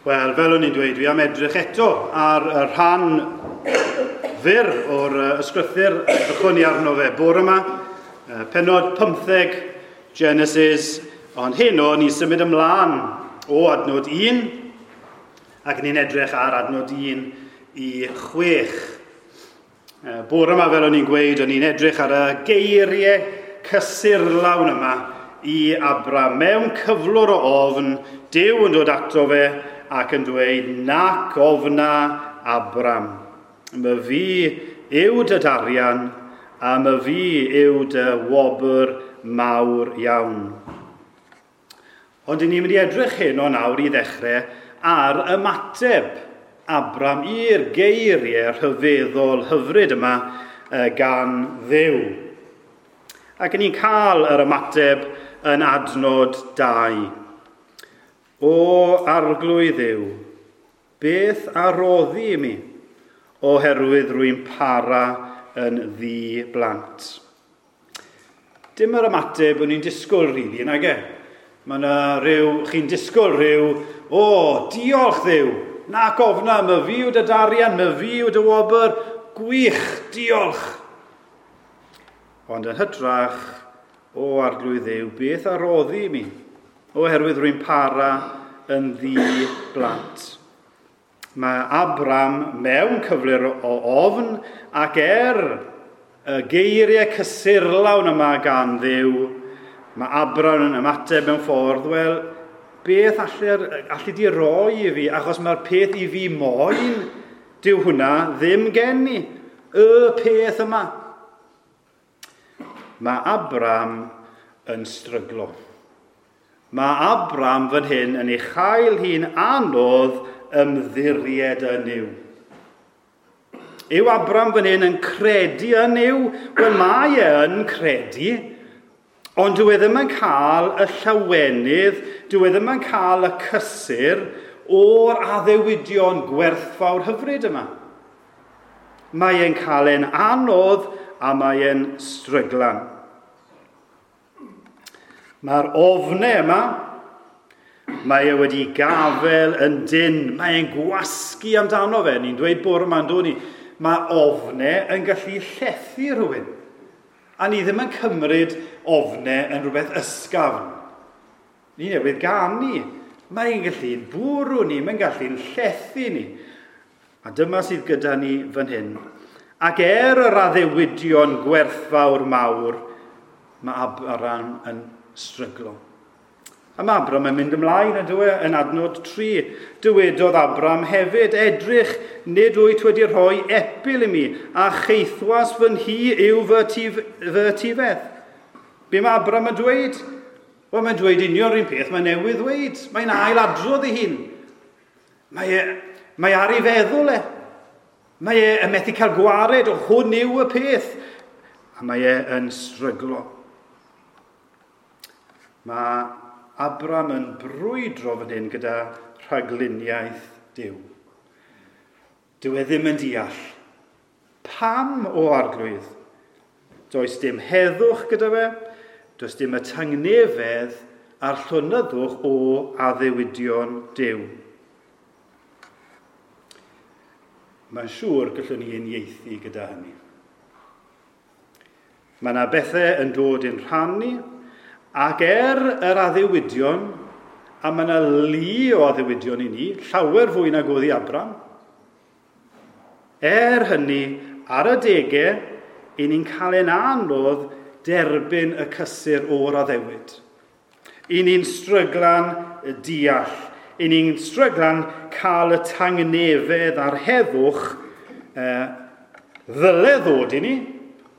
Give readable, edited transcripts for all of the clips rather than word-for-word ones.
Wel, fel o'n i'n dweud, dwi am edrych eto ar y rhan fyr o'r ysgrythyr edrychwn ni arno fe bore yma, penod 15 Genesis, ond heno ni'n symud ymlaen o adnod 1, ac ni'n edrych ar adnod 1 i 6. Bore yma, fel o'n i'n gweud, o'n i'n edrych ar y geiriau cysurlawn yma i Abram. Mewn cyflwr o ofn, Duw yn dod ato fe ac yn dweud, nac ofna Abram. My fi yw dy darian a my fi yw dy wobr mawr iawn. Ond ni'n mynd i edrych heno nawr i ddechrau ar ymateb Abram i'r geiriau rhyfeddol hyfryd yma gan Dduw. Ac ni'n cael yr ymateb yn adnod 2. O Arglwydd Dduw, beth a roddi i mi, oherwydd rwy'n para yn ddi blant. Dim yr ymateb o'n i'n disgwyl, rili, nag e? Mae yna rhyw, chi'n disgwyl rhyw, o, diolch Dduw, nac ofna, my fi yw dy darian, my fi yw dy wobr, gwych, diolch. Ond yn hytrach, o Arglwydd Dduw, beth a roddi i mi, oherwydd rwy'n para yn ddi blant. Mae Abram mewn cyflwr o ofn ac y geiriau cysurlawn yma gan Dduw, mae Abram yn ymateb mewn ffordd, wel, beth allu di roi i fi, achos mae'r peth i fi moyn, dyw hwnna ddim gen i, y peth yma. Mae Abram yn stryglo. Mae Abram fan hyn yn ei chael hi'n anodd ymddiried yn Nuw. Yw Abram fan hyn yn credu yn Nuw? Wel, mae e yn credu, ond dyw e ddim yn cael y llawenydd, dyw e ddim yn cael y cysur o'r addewidion gwerthfawr hyfryd yma. Mae e'n cael e'n anodd a mae e'n stryglan. Mae'r ofnau yma, mae e wedi gafel yn dyn, mae e'n gwasgu amdano fe. Ni'n dweud bore yma, yn ni, mae ofnau yn gallu llethu rhywun. A ni ddim yn cymryd ofnau yn rhywbeth ysgafn. Ni newydd ganu. Mae'n gallu'n bwrw ni, mae'n gallu'n llethu ni. A dyma sydd gyda ni fan hyn. Ac yr addewidion gwerthfawr mawr, mae Abram yn stryglo. A mae Abram yn mynd ymlaen yn dweud, yn adnod 3. Dywedodd Abram hefyd, edrych, nid wyt wedi rhoi epil i mi, a cheithwas fy nhŷ yw fy etifedd. Be mae Abram yn dweud? Wel, mae'n dweud union yr un peth mae newydd ddweud. Mae'n ailadrodd ei hun. Mae ar ei feddwl e. Mae e yn methu cael gwared o hwn yw y peth. A mae e yn stryglo. Mae Abram yn brwydro fan hyn gyda rhagluniaeth Duw. Dyw e ddim yn deall. Pam o Arglwydd? Does dim heddwch gyda fe, does dim y tangnefedd a'r llonyddwch o addewidion Duw. Mae'n siŵr gallwn ni uniaethu gyda hynny. Mae yna bethau yn dod i'n rhan ni, ac yr addewidion, a mae yna lu o addewidion i ni, llawer fwy nag oedd i Abram. Hynny, ar adegau, i ni'n cael ein anodd derbyn y cysur o'r addewid. I ni'n stryglan deall. I ni'n stryglan cael y tangnefedd a'r heddwch ddyle ddod i ni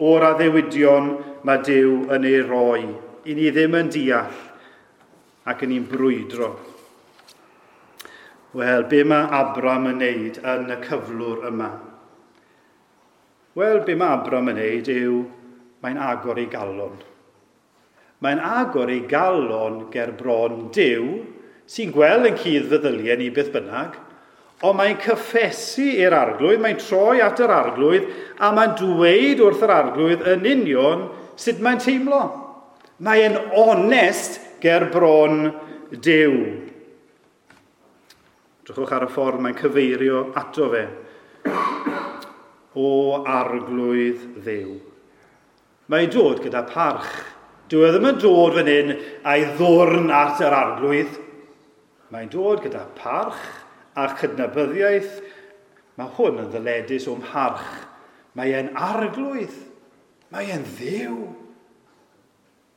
o'r addewidion mae Duw yn ei roi. I ni ddim yn deall ac yn ni'n brwydro. Wel, be mae Abram yn neud yn y cyflwr yma? Wel, be mae Abram yn neud yw mae'n agor ei galon. Mae'n agor ei galon ger bron Duw, sy'n gweld yn cudd feddyliau ni beth bynnag, ond mae'n cyffesu i'r Arglwydd, mae'n troi at yr Arglwydd, a mae'n dweud wrth yr Arglwydd yn union sut mae'n teimlo. Mae'n onest ger bron Duw. Drychwch ar y ffordd mae'n cyfeirio ato fe. O Arglwydd Dduw. Mae'n dod gyda parch. Dyw e ddim yn dod fan hyn a'i ddwrn at yr Arglwydd. Mae'n dod gyda parch a chydnabyddiaeth. Mae hwn yn ddyledus o'm mharch. Mae e'n Arglwydd. Mae e'n Dduw.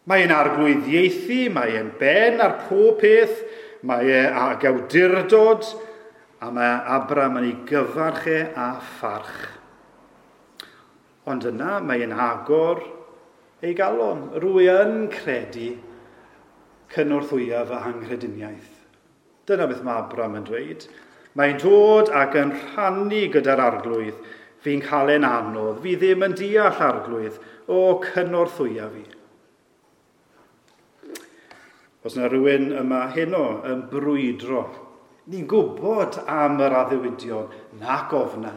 Mae e'n arglwyddiaethu, mae e'n ben ar pob peth, mae e ag awdurdod, a mae Abram yn ei gyfarch e a pharch. Ond yna mae e'n agor ei galon. Rwy yn credu cynorthwya fy anghrediniaeth. Dyna beth mae Abram yn dweud. Mae'n dod ac yn rhannu gyda'r Arglwydd. Fi'n cael e'n anodd. Fi ddim yn deall, Arglwydd. O, cynorthwya fi. Os yna rhywun yma heno yn brwydro, ni'n gwybod am yr addewidion, nac ofna.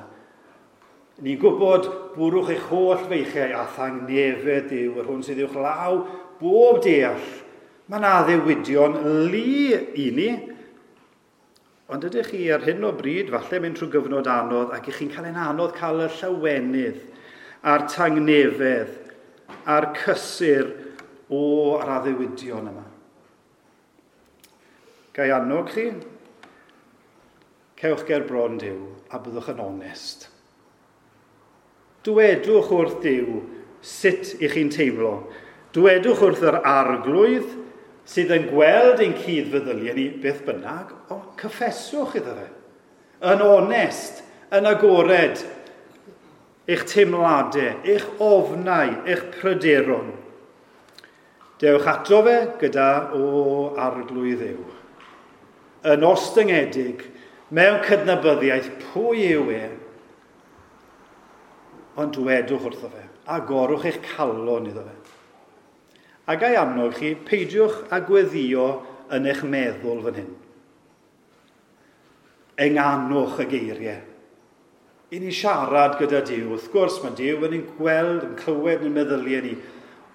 Ni'n gwybod bwrwch eich holl feichiau a thangnefedd yw yr hwn sydd uwch law bob deall. Mae yna addewidion lu i ni. Ond ydych chi ar hyn o bryd, falle mynd trwy gyfnod anodd, ac ych chi'n cael ein anodd cael y llawenydd a'r tangnefedd a'r cysur o'r addewidion yma. Ga i annog chi? Cewch ger bron Duw a byddwch yn onest. Dwedwch wrth Duw sut ych chi'n teimlo. Dwedwch wrth yr Arglwydd sydd yn gweld ein cudd-feddyliau ni beth bynnag, ond cyffeswch iddo fe. Yn onest, yn agored, eich teimladau, eich ofnau, eich pryderon. Dewch ato fe gyda o Arglwydd Dduw. Yn ostyngedig, mewn cydnabyddiaeth, pwy yw e? Ond dwedwch wrtho fe, agorwch eich calon iddo fe. A ga i annog chi, peidiwch â gweddio yn eich meddwl fan hyn. Enganwch y geiriau. I ni siarad gyda Duw, wrth gwrs mae Duw yn ein gweld, yn clywed yn meddyliau ni,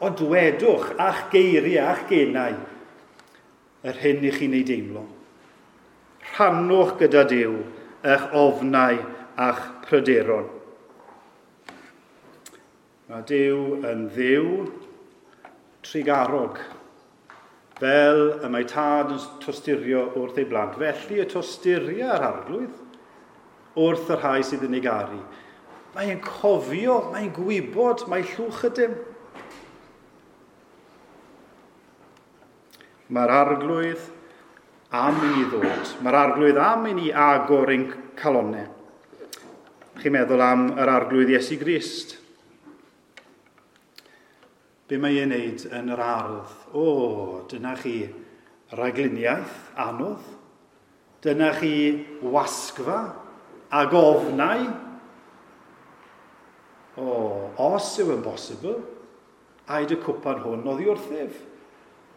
ond dwedwch a'ch geiriau, a'ch genau, yr hyn i chi'n ei deimlo. Rhannwch gyda Duw eich ofnau a'ch pryderon. Mae Duw yn Dduw trugarog, fel y mae tad yn tosturio wrth ei blant. Felly y tosturia yr Arglwydd wrth y rhai sydd yn ei garu. Mae'n cofio, mae'n gwybod, mae llwch ydym. Mae'r Arglwydd am i ni ddod. Mae'r Arglwydd am i ni agor ein calonnau. Chi'n meddwl am yr Arglwydd Iesu Grist. Be mae e'n neud yn yr ardd? O, dyna chi ragluniaeth anodd. Dyna chi wasgfa ag ofnau. O, os yw yn bosibl, aed y cwpan hwn oddi wrthyf.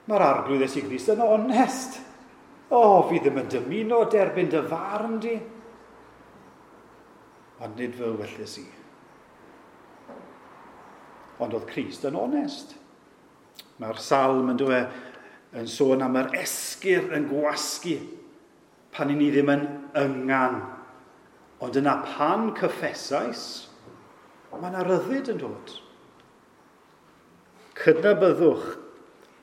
Mae'r Arglwydd Iesu Grist yn onest. O, fi ddim yn dymuno derbyn dy farn di. Ond nid fy ewyllys i. Ond oedd Crist yn onest. Mae'r salm yn dweud yn sôn am yr esgyr yn gwasgu pan i ni ddim yn yngan. Ond yna pan cyffesais, mae yna ryddid yn dod. Cydnabyddwch,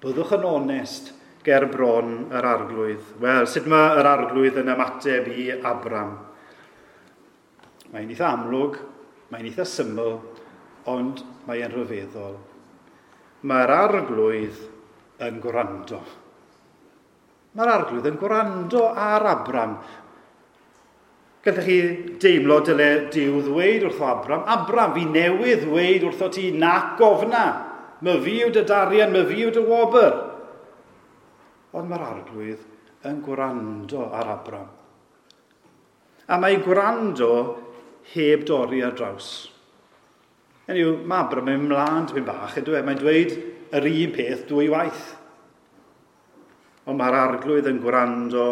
byddwch yn onest ger bron yr Arglwydd. Wel, sut mae yr Arglwydd yn ymateb i Abram? Mae'n eitha amlwg, mae'n eitha syml, ond mae'n rhyfeddol. Mae'r Arglwydd yn gwrando. Mae'r Arglwydd yn gwrando ar Abram. Gallech chi deimlo dyle Duw ddweud wrtho Abram, Abram, fi newydd ddweud wrtho ti nac ofna. My fi yw dy darian, my fi yw dy wobr. Ond mae'r Arglwydd yn gwrando ar Abram. A mae gwrando heb dorri ar draws. Hynny yw, mae Abram yn mynd mlaen tipyn bach, ydw e? Mae'n dweud yr un peth dwy waith. Ond mae'r Arglwydd yn gwrando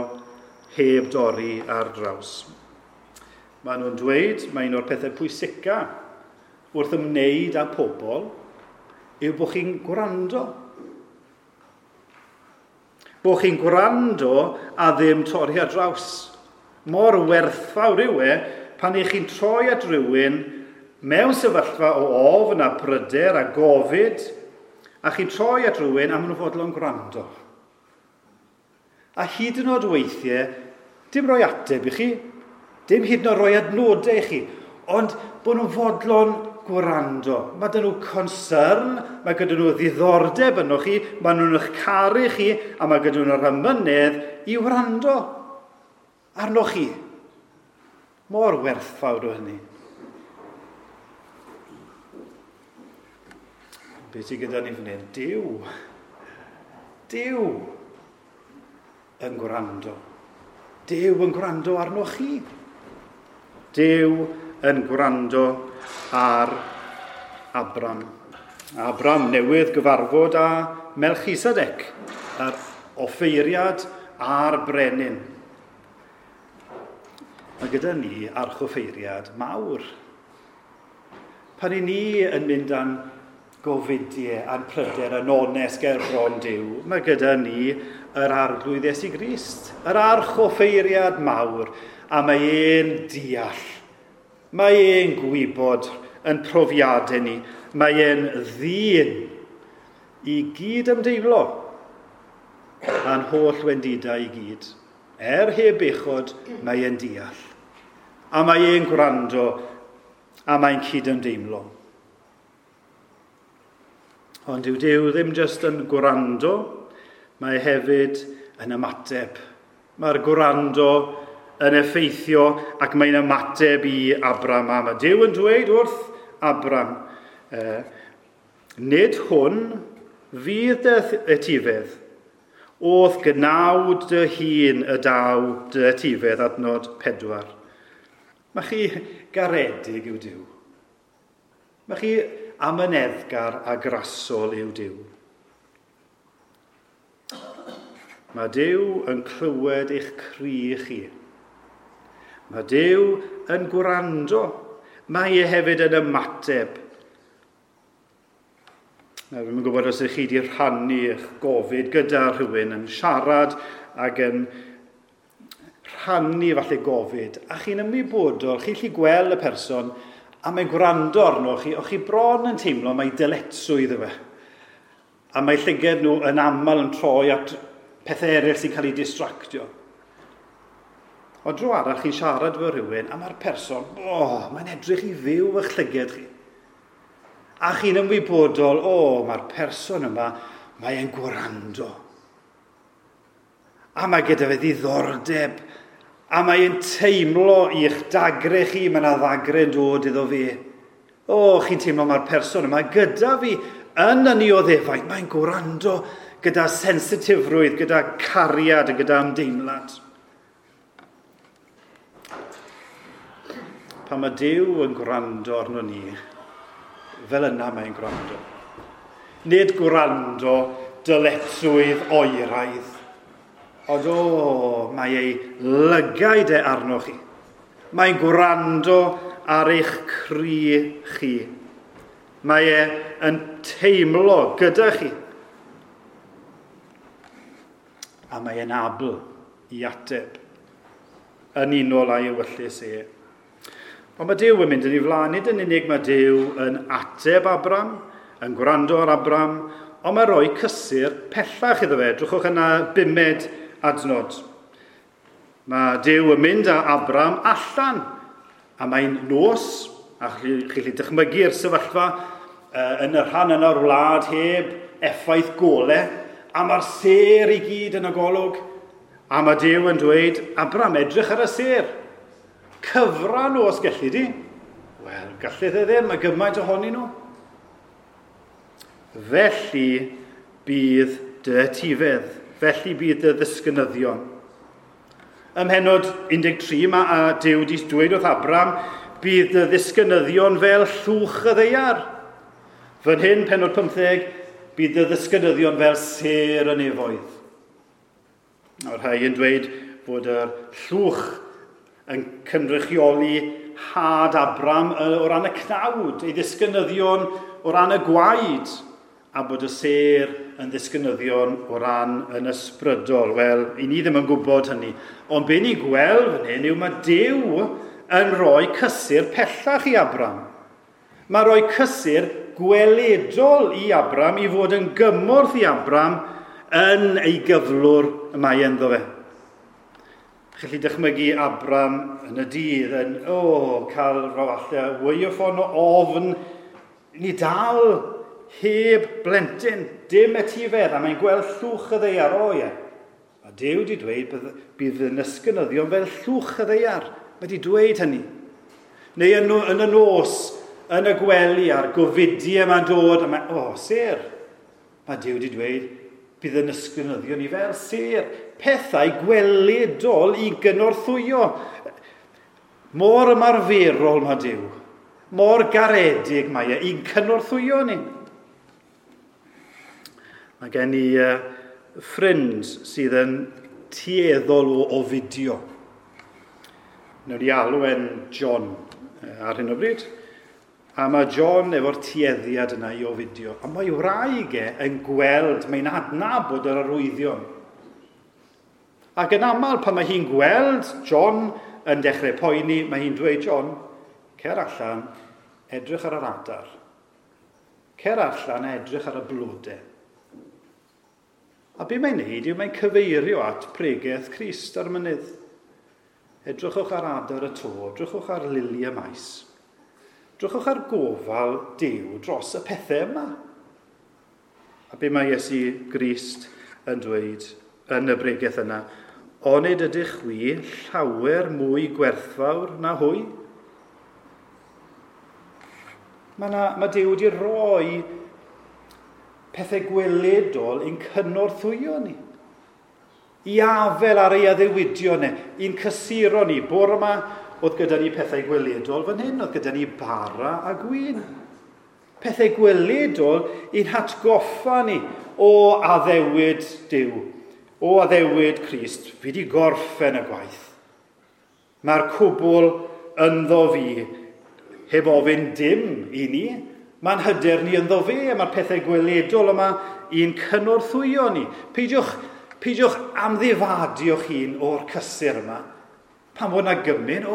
heb dorri ar draws. Maen nhw'n dweud, mae un o'r pethau pwysica wrth ymwneud â pobl yw bod chi'n gwrando. Bod chi'n gwrando a ddim torri ar draws. Mor werthfawr yw e pan ych chi'n troi at rhywun mewn sefyllfa o ofn a pryder a gofid, a chi'n troi at rhywun a maen nhw'n fodlon gwrando. A hyd yn oed weithiau, dim rhoi ateb i chi, dim hyd yn oed rhoi adnodau i chi, ond bod nhw'n fodlon gwrando. Mae gyda nhw concern, mae gyda nhw ddiddordeb yno chi, mae nhw'n eich caru chi, a mae gyda nhw'r amynedd i wrando arnoch chi. Mor werthfawr o hynny. Be sydd gyda ni fan hyn? Duw. Duw yn gwrando. Duw yn gwrando arnoch chi. Duw yn gwrando ar Abram. Abram newydd gyfarfod â Melchisedec, yr offeiriad a'r brenin. Mae gyda ni archoffeiriad mawr. Pan i ni yn mynd â'n gofidiau a'n pryder yn onest ger bron Duw, mae gyda ni yr Arglwydd Iesu Grist, yr archoffeiriad mawr, a mae e'n deall. Mae e'n gwybod yn profiadau ni. Mae e'n ddyn i gyd ymdeimlo a'n holl wendidau i gyd. Er heb bechod, mae e'n deall. A mae e'n gwrando, a mae'n cyd-ymdeimlo. Ond yw Duw ddim jyst yn gwrando, mae hefyd yn ymateb. Mae'r gwrando yn effeithio ac mae'n ymateb i Abram. A mae Duw yn dweud wrth Abram, nid hwn fydd dy etifedd, o'th gnawd dy hun y daw dy etifedd, adnod 4. Mae chi garedig yw Duw. Mae chi amyneddgar a grasol yw Duw. Mae Duw yn clywed eich cri chi. Mae Duw yn gwrando. Mae e hefyd yn ymateb. Nawr, dwi'm yn gwybod os ydych chi wedi rhannu eich gofid gyda rhywun yn siarad ac yn rhannu falle gofid, a chi'n ymwybodol, chi'n gallu gweld y person, a mae'n gwrando arno chi, o'ch chi bron yn teimlo mai dyletswydd yw e. A mae llyged nhw yn aml yn troi at pethau eraill sy'n cael eu distractio. O dro arall chi'n siarad efo rhywun, a mae'r person, mae'n edrych i fyw eich llyged chi. A chi'n ymwybodol, mae'r person yma, mae'n gwrando. A mae gyda fe ddiddordeb, a mae'n teimlo i'ch dagre chi, mae yna ddagre'n dod iddo fe. Chi'n teimlo mae'r person yma gyda fi yn y nioddefaint, mae'n gwrando gyda sensitifrwydd, gyda cariad a gyda ymdeimlad. Pan mae Duw yn gwrando arno ni, fel yna mae'n gwrando. Nid gwrando dyletswydd oeraidd, ond mae ei lygaid e arno chi. Mae'n gwrando ar eich cri chi. Mae e yn teimlo gyda chi. A mae e'n abl i ateb yn unol â'i ewyllys e. Ond mae Duw yn mynd yn ei flaen, nid yn unig mae Duw yn ateb Abram, yn gwrando ar Abram, ond mae rhoi cysur pellach iddo fe. Drychwch yna 5 adnod. Mae Duw yn mynd â Abram allan, a mae'n nos, a chi'n gallu dychmygu'r sefyllfa yn y rhan yna o'r wlad heb effaith gole, a mae'r sêr i gyd yn y golwg, a mae Duw yn dweud, Abram, edrych ar y sêr. Cyfran nhw os gelli di. Wel, gallith e ddim, mae gymaint ohonyn nhw. Felly bydd dy etifedd, felly bydd dy ddisgynyddion. Ym mhennod 13 mae Duw wedi dweud wrth Abram, bydd dy ddisgynyddion fel llwch y ddaear. Fan hyn, pennod 15, bydd dy ddisgynyddion fel sêr y nefoedd. Mae'r rhai yn dweud fod yr llwch yn cynrychioli had Abram o ran y cnawd, ei ddisgynyddion o ran y gwaed, a bod y sêr yn ddisgynyddion o ran yn ysbrydol. Wel, i ni ddim yn gwybod hynny. Ond be ni'n gweld fan hyn yw mae Duw yn rhoi cysur pellach i Abram. Mae rhoi cysur gweledol i Abram i fod yn gymorth i Abram yn ei gyflwr y mae ynddo fe. Chi'n gallu dychmygu Abram yn y dydd yn, cael rhyw falle wy o ffon o ofn. Ni dal heb blentyn, dim etifedd, a mae'n gweld llwch y ddaear, o ie. A Duw wedi dweud bydd yn ysgynyddion fel llwch y ddaear. Mae wedi dweud hynny. Neu yn y nos, yn y gwely a'r gofidiau yma'n dod, a mae, sêr. Mae Duw wedi dweud bydd yn ysgynyddion ni fel sêr. Pethau gweledol i gynorthwyo. Mor ymarferol mae Duw. Mor garedig mae e i'n cynorthwyo ni. Mae gen i ffrind sydd yn tueddol o ofidio. Wnawn ni alw e'n John ar hyn o bryd. A mae John efo'r tueddiad yna i ofidio. A mae wraig e yn gweld, mae'n adnabod yr arwyddion. Ac yn aml pan mae hi'n gweld John yn dechrau poeni, mae hi'n dweud, John, cer allan, edrych ar yr adar. Cer allan a edrych ar y blodau. A be mae'n neud yw mae'n cyfeirio at pregeth Crist ar y mynydd. Edrychwch ar adar y to, edrychwch ar lili y maes. Edrychwch ar gofal Duw dros y pethau yma. A be mae Iesu Grist yn dweud yn y bregeth yna, onid ydych chwi llawer mwy gwerthfawr na hwy? Mae Duw wedi rhoi pethau gweledol i'n cynorthwyo ni. I afel ar ei addewidion e, i'n cysuro ni. Bore yma oedd gyda ni pethau gweledol fan hyn, oedd gyda ni bara a gwin. Pethau gweledol i'n hatgoffa ni o addewid Duw, o addewid Crist. Fi wedi gorffen y gwaith. Mae'r cwbl ynddo fi, heb ofyn dim i ni. Mae'n hyder ni ynddo fe, a mae'r pethau gweledol yma i'n cynorthwyo ni. Peidiwch amddifadio'ch hun o'r cysur yma. Pan fod yna gymun,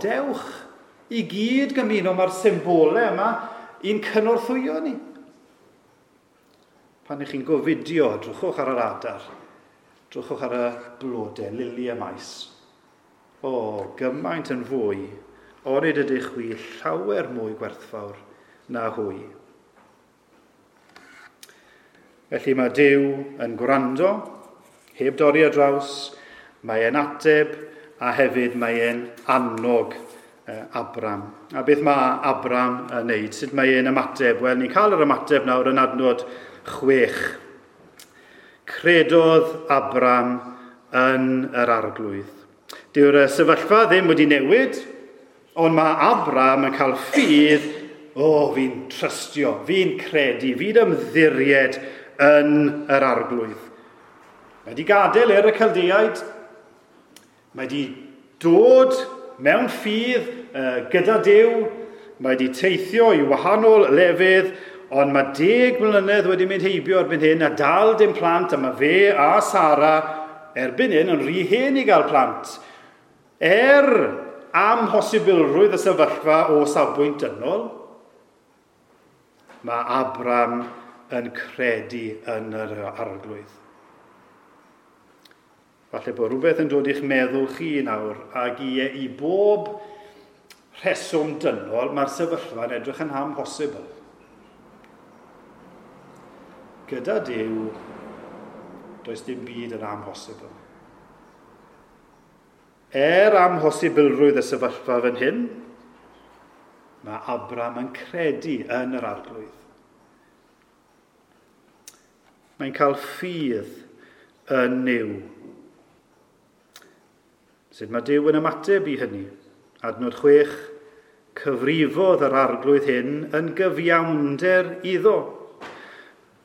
dewch i gyd gymuno, mae'r symbolau yma i'n cynorthwyo ni. Pan ych chi'n gofidio, drychwch ar yr adar, drychwch ar y blodau, lili y maes. Gymaint yn fwy, onid ydych chwi llawer mwy gwerthfawr na hwy. Felly mae Duw yn gwrando, heb dorri ar draws, mae e'n ateb a hefyd mae e'n annog Abram. A beth mae Abram yn neud? Sut mae e'n ymateb? Wel, ni'n cael yr ymateb nawr yn adnod 6. Credodd Abram yn yr Arglwydd. Dyw'r sefyllfa ddim wedi newid, ond mae Abram yn cael ffydd, fi'n trystio, fi'n credu, fi'n ymddiried yn yr Arglwydd. Mae wedi gadael y Chaldeaid, mae wedi dod mewn ffydd gyda Duw, mae wedi teithio i wahanol lefydd, ond mae 10 mlynedd wedi mynd heibio erbyn hyn a dal dim plant, a mae fe a Sara erbyn hyn yn rhy hen i gael plant. Amhosibilrwydd y sefyllfa o safbwynt dynol, mae Abram yn credu yn yr Arglwydd. Falle bod rhywbeth yn dod i'ch meddwl chi nawr, ac i bob rheswm dynol, mae'r sefyllfa'n edrych yn amhosibl. Gyda Duw, does dim byd yn amhosibl. Amhosibilrwydd y sefyllfa fan hyn, mae Abram yn credu yn yr Arglwydd. Mae'n cael ffydd yn Nuw. Sut mae Duw yn ymateb i hynny? Adnod 6, cyfrifodd yr Arglwydd hyn yn gyfiawnder iddo.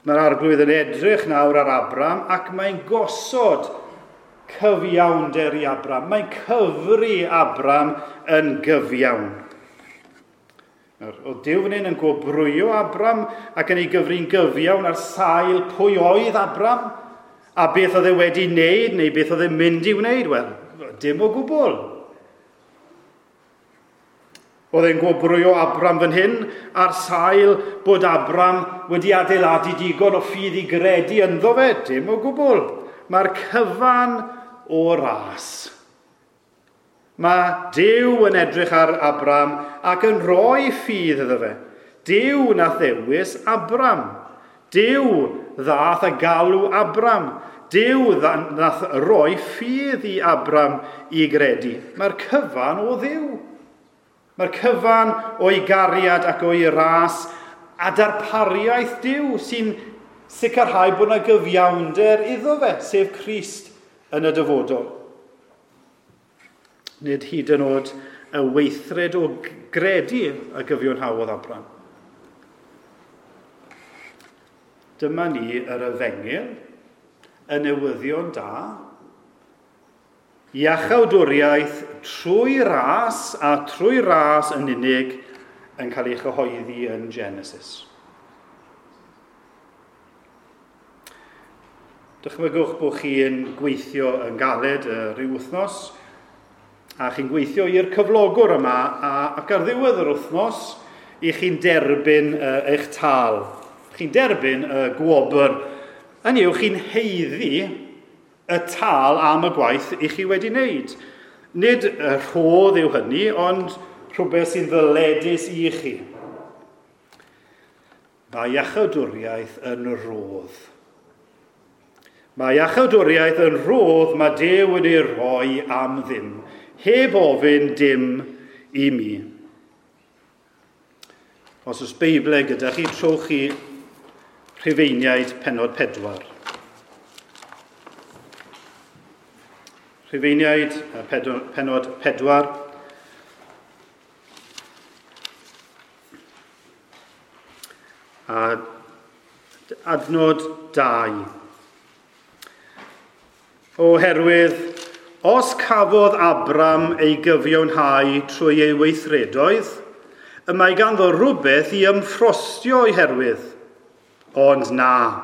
Mae'r Arglwydd yn edrych nawr ar Abram ac mae'n gosod cyfiawnder i Abram. Mae'n cyfri Abram yn gyfiawn. Nawr, oedd Duw fan hyn yn gwobrwyo Abram ac yn ei gyfri'n gyfiawn ar sail pwy oedd Abram a beth oedd e wedi wneud neu beth oedd e'n mynd i wneud? Wel, dim o gwbl. Oedd e'n gwobrwyo Abram fan hyn ar sail bod Abram wedi adeiladu digon o ffydd i gredu ynddo fe? Dim o gwbl. Mae'r cyfan o ras. Mae Duw yn edrych ar Abram ac yn rhoi ffydd iddo fe. Duw nath ddewis Abram. Duw ddath a galw Abram. Duw nath roi ffydd i Abram i gredu. Mae'r cyfan o Dduw. Mae'r cyfan o'i gariad ac o'i ras a darpariaeth Duw sy'n sicrhau bod yna gyfiawnder iddo fe, sef Crist yn y dyfodol. Nid hyd yn oed y weithred o gredu y gyfiawnhaodd Abram. Dyma ni yr efengyl, y newyddion da, iachawdwriaeth trwy ras a trwy ras yn unig yn cael ei chyhoeddi yn Genesis. Dychmygwch bod chi'n gweithio yn galed rhyw wythnos, a chi'n gweithio i'r cyflogwr yma, ac ar ddiwedd yr wythnos, i chi'n derbyn eich tâl. Chi'n derbyn y gwobr. Hynny yw, chi'n haeddu y tâl am y gwaith i chi wedi wneud. Nid y rhodd yw hynny, ond rhywbeth sy'n ddyledus i chi. Mae iachawdwriaeth yn rhodd. Mae iachawdwriaeth yn rhodd mae Duw yn ei rhoi am ddim, heb ofyn dim i mi. Os oes Beiblau gyda chi, trowch chi Rhufeiniaid pennod 4. Rhufeiniaid pennod 4. A adnod 2. Oherwydd, os cafodd Abram ei gyfiawnhau trwy ei weithredoedd, y mae ganddo rhywbeth i ymffrostio o'i herwydd. Ond na,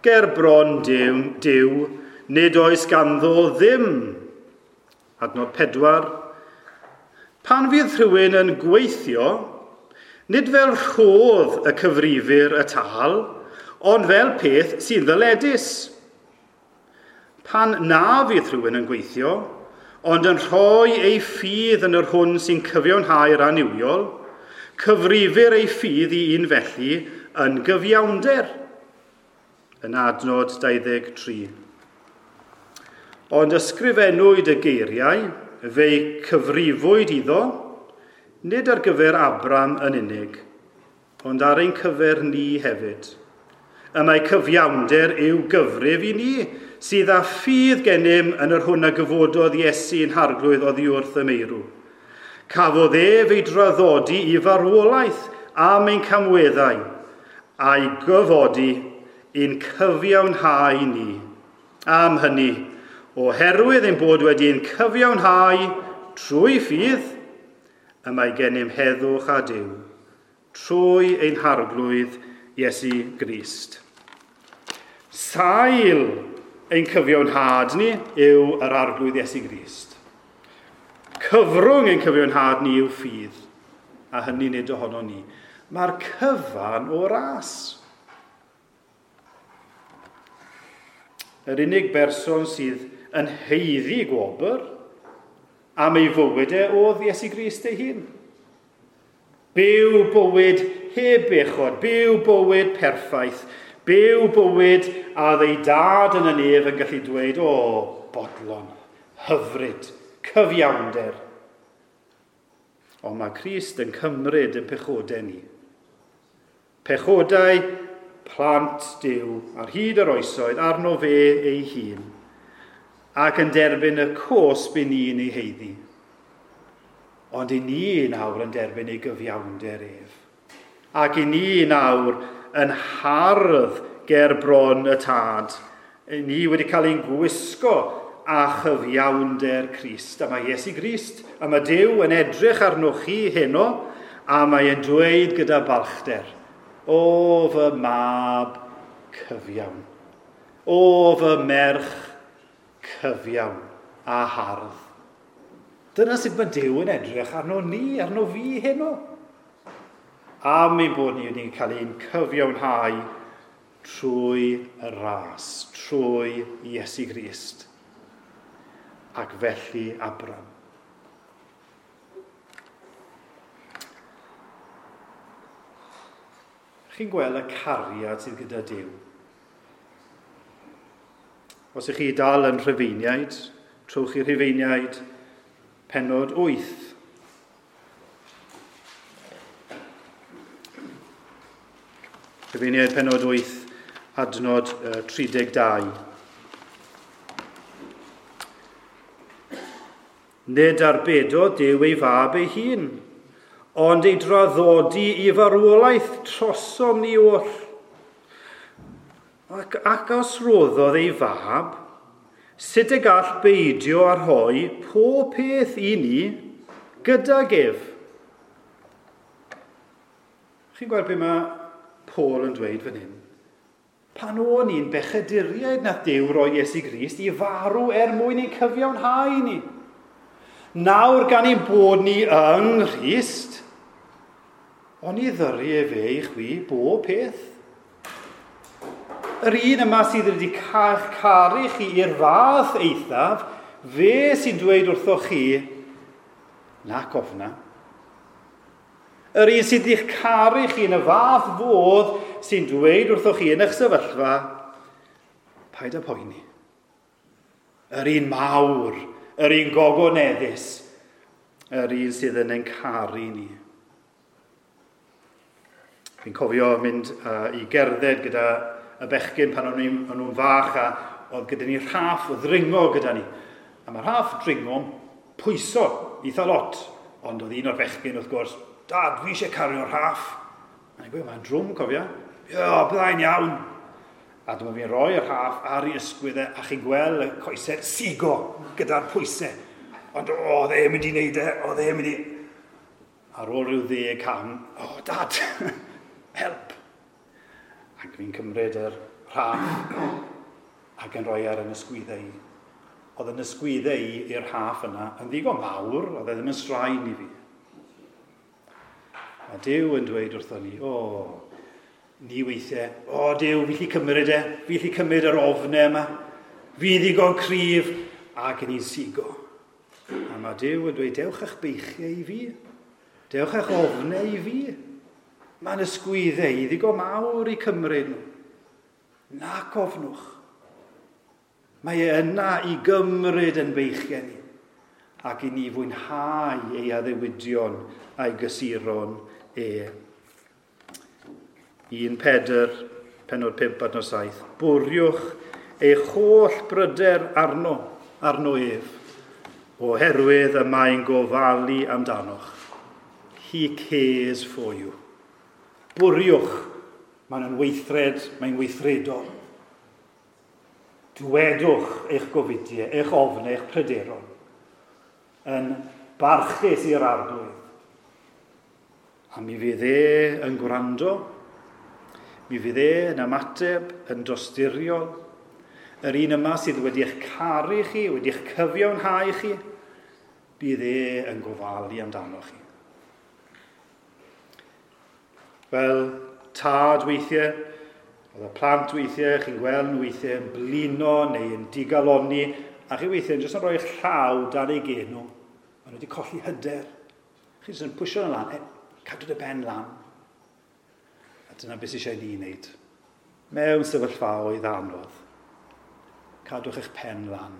ger bron Duw, nid oes ganddo ddim. Adnod 4. Pan fydd rhywun yn gweithio, nid fel rhodd y cyfrifir y tâl, ond fel peth sy'n ddyledus. Pan na fydd rhywun yn gweithio, ond yn rhoi ei ffydd yn yr hwn sy'n cyfiawnhau'r annuwiol, cyfrifir ei ffydd i un felly yn gyfiawnder. Yn adnod 23. Ond ysgrifennwyd y geiriau, fe'i cyfrifwyd iddo, nid ar gyfer Abram yn unig, ond ar ein cyfer ni hefyd. Y mae cyfiawnder yw gyfrif i ni, sydd â ffydd gennym yn yr hwn a gyfododd Iesu yn harglwydd oddi wrth y meirw. Cafodd ef ei draddodi i farwolaeth am ein camweddau, a'i gyfodi i'n cyfiawnhau ni. Am hynny, oherwydd ein bod wedi'n cyfiawnhau trwy ffydd, y mae gennym heddwch a Duw, trwy ein harglwydd Iesu Grist. Sail ein cyfiawnhad ni yw yr arglwydd Iesu Grist. Cyfrwng ein cyfiawnhad ni yw ffydd, a hynny nid ohono ni. Mae'r cyfan o ras. Yr unig berson sydd yn haeddu gwobr am ei fywyd e oedd Iesu Grist ei hun. Byw bywyd heb bechod, byw bywyd perffaith, byw bywyd a oedd ei dad yn y nef yn gallu dweud, o, bodlon, hyfryd, cyfiawnder. Ond mae Crist yn cymryd yn pechodau ni. Pechodau plant Duw ar hyd yr oesoedd arno fe ei hun, ac yn derbyn y cosb i ni'n ei haeddu. Ond i ni nawr yn derbyn ei gyfiawnder ef. Ac i ni nawr yn hardd ger bron y tad. I ni wedi cael ein gwisgo a chyfiawnder Crist. A mae Iesu Grist, a mae Duw yn edrych arnoch chi heno, A mae e'n dweud gyda balchder, o fy mab cyfiawn, o fy merch cyfiawn a hardd. Dyna sut mae Duw yn edrych arno ni, arno fi heno. Am ein bod ni wedi cael ein cyfiawnhau trwy y ras, trwy Iesu Grist. Ac felly Abram. Chi'n gweld y cariad sydd gyda Duw. Os ych chi dal yn Rhufeiniaid, trowch chi Rhufeiniaid pennod 8. Rhufeiniaid pennod 8, adnod 32. Nid arbedodd Duw ei fab ei hun, ond ei draddodi i farwolaeth trosom ni oll. Ac os roddodd ei fab, sut y gall beidio â rhoi pob peth i ni gydag ef? Chi'n gweld beth mae Paul yn dweud fan hyn? Pan o'n i'n bechaduriaid nath Duw roi Iesu Grist i farw er mwyn ein cyfiawnhau ni. Nawr gan ein bod ni yng Nghrist, oni ddyru efe i chwi bob peth. Yr un yma sydd wedi caru chi i'r fath eithaf, fe sy'n dweud wrthoch chi, nac ofna. Yr un sydd wedi'ch caru chi yn y fath fodd sy'n dweud wrthoch chi yn eich sefyllfa, paid â poeni. Yr un mawr, yr un gogoneddus, yr un sydd yn ein caru ni. Fi'n cofio mynd i gerdded gyda y bechgyn pan o'n nhw'n fach a oedd gyda ni rhaff ddringo gyda ni. A mae rhaff dringo'n pwyso eitha lot, ond oedd un o'r bechgyn wrth gwrs, Dad, fi eisiau cario'r rhaff. A ni'n gweud, mae'n drwm, cofia. Ie, byddai'n iawn. A dyma fi'n rhoi y rhaff ar ei ysgwydd e, a chi'n gweld y coesau sigo gyda'r pwysau. Ond oedd e'n mynd i wneud e, oedd e'n mynd i... Ar ôl rhyw 10 cam, o, Dad, help. Ac fi'n cymryd yr rhaff ac yn rhoi ar yn ysgwyddau i. Oedd yn ysgwyddau i i'r rhaff yna yn ddigon mawr, oedd e ddim yn straen i fi. A Duw yn dweud wrthon ni, o, ni weithiau, o Duw, fi lli cymryd e, fi lli cymryd yr ofnau yma, fi ddigon cryf, ac yn i'n sigo. A mae Duw yn dweud, dewch eich beichiau i fi, dewch eich ofnau i fi. Mae'n ysgwyddau i ddigon mawr i cymryd nhw. Nac ofnwch. Mae e yna i gymryd yn beichiau ni, ac i ni fwynhau ei addewidion a'i gysuron e. 1 Pedr, pennod 5 adnod 7. Bwriwch eich holl bryder arno ef, oherwydd y mae'n gofalu amdanoch. He cares for you. Bwriwch, mae'n weithred, mae'n weithredol. Dwedwch eich gofidiau, eich ofnau, eich pryderon, yn barchus i'r Arglwydd. A mi fydd e yn gwrando, mi fydd e yn ymateb, yn dosturiol. Yr un yma sydd wedi eich caru chi, wedi eich cyfiawnhau chi, bydd e yn gofalu amdano chi. Fel tad weithiau, oedd y plant weithiau, chi'n gweld nhw weithiau yn blino neu yn digalonni, a chi weithiau yn jyst yn rhoi eich llaw dan eu gen nhw. Maen nhw wedi colli hyder. Chi jyst yn pwysio nhw lan, cadw dy ben lan. A dyna beth sydd eisiau ni wneud. Mewn sefyllfaoedd anodd, cadwch eich pen lan.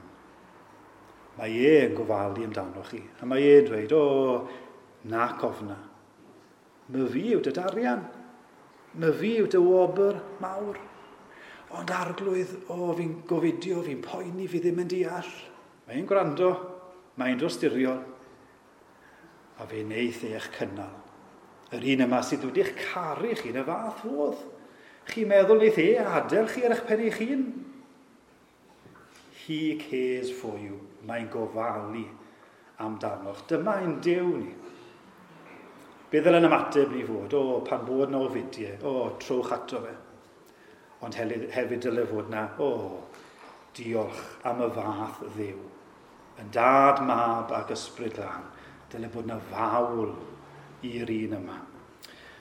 Mae e yn gofalu amdano chi. A mae e'n dweud, o, nac ofna. My fi yw dy darian. My fi yw dy wobr mawr. Ond Arglwydd, o, fi'n gofidio, fi'n poeni, fi ddim yn deall. Mae'n gwrando, mae'n dosturiol. A fe wneith eich cynnal. Yr un yma sydd wedi'ch caru chi yn y fath fodd. Chi'n meddwl wneith e adael chi ar eich pen eich hun? He cares for you. Mae'n gofalu amdanoch. Dyma ein Duw ni. Be ddylen ymateb ni fod? O, pan bod na ofidiau, o, trowch ato fe. Ond hefyd dyle fod na, o, diolch am y fath Dduw. Yn dad, mab ac ysbryd glân, dyle bod na fawl i'r un yma.